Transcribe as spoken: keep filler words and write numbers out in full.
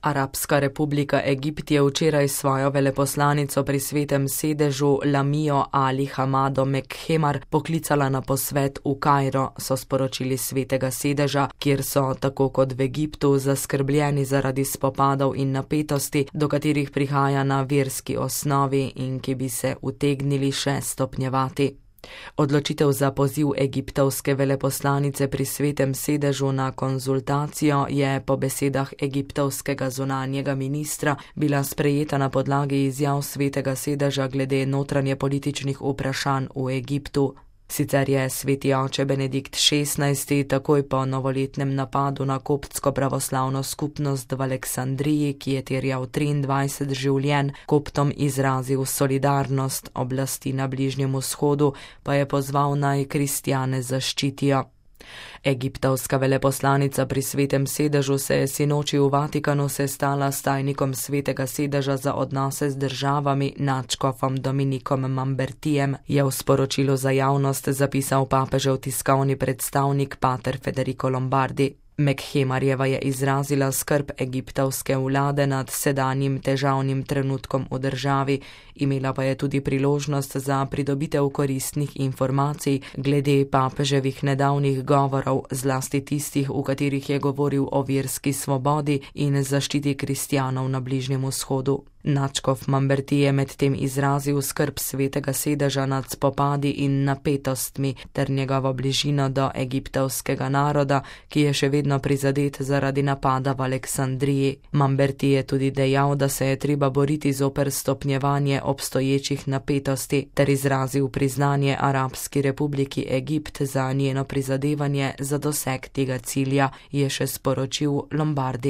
Arabska republika Egipt je včeraj svojo veleposlanico pri svetem sedežu Lamijo Ali Hamado Mekhemar poklicala na posvet v Kairo, so sporočili svetega sedeža, kjer so, tako kot v Egiptu, zaskrbljeni zaradi spopadov in napetosti, do katerih prihaja na verski osnovi in ki bi se utegnili še stopnjevati. Odločitev za poziv egiptovske veleposlanice pri svetem sedežu na konzultacijo je po besedah egiptovskega zunanjega ministra bila sprejeta na podlagi izjav svetega sedeža glede notranje političnih vprašanj v Egiptu. Sicer je sveti oče Benedikt šestnajsti takoj po novoletnem napadu na koptsko pravoslavno skupnost v Aleksandriji, ki je terjal triindvajset življenj, koptom izrazil solidarnost, oblasti na Bližnjem vzhodu pa je pozval naj kristjane zaščitijo. Egiptovska veleposlanica pri svetem sedežu se je sinoči v Vatikanu sestala s tajnikom svetega sedeža za odnose z državami nadškofom Dominikom Mambertijem, je v sporočilu za javnost zapisal papežev tiskovni predstavnik pater Federico Lombardi. Mekhemarjeva je izrazila skrb egiptovske vlade nad sedanjim težavnim trenutkom v državi, imela pa je tudi priložnost za pridobitev koristnih informacij glede papeževih nedavnih govorov, zlasti tistih, v katerih je govoril o verski svobodi in zaščiti kristjanov na Bližnjem vzhodu. Nadškof Mamberti je medtem izrazil skrb svetega sedeža nad spopadi in napetostmi ter njegovo bližino do egiptovskega naroda, ki je še vedno prizadet zaradi napada v Aleksandriji. Mamberti je tudi dejal, da se je treba boriti zoper stopnjevanje obstoječih napetosti ter izrazil priznanje Arabski republiki Egipt za njeno prizadevanje za doseg tega cilja, je še sporočil Lombardi.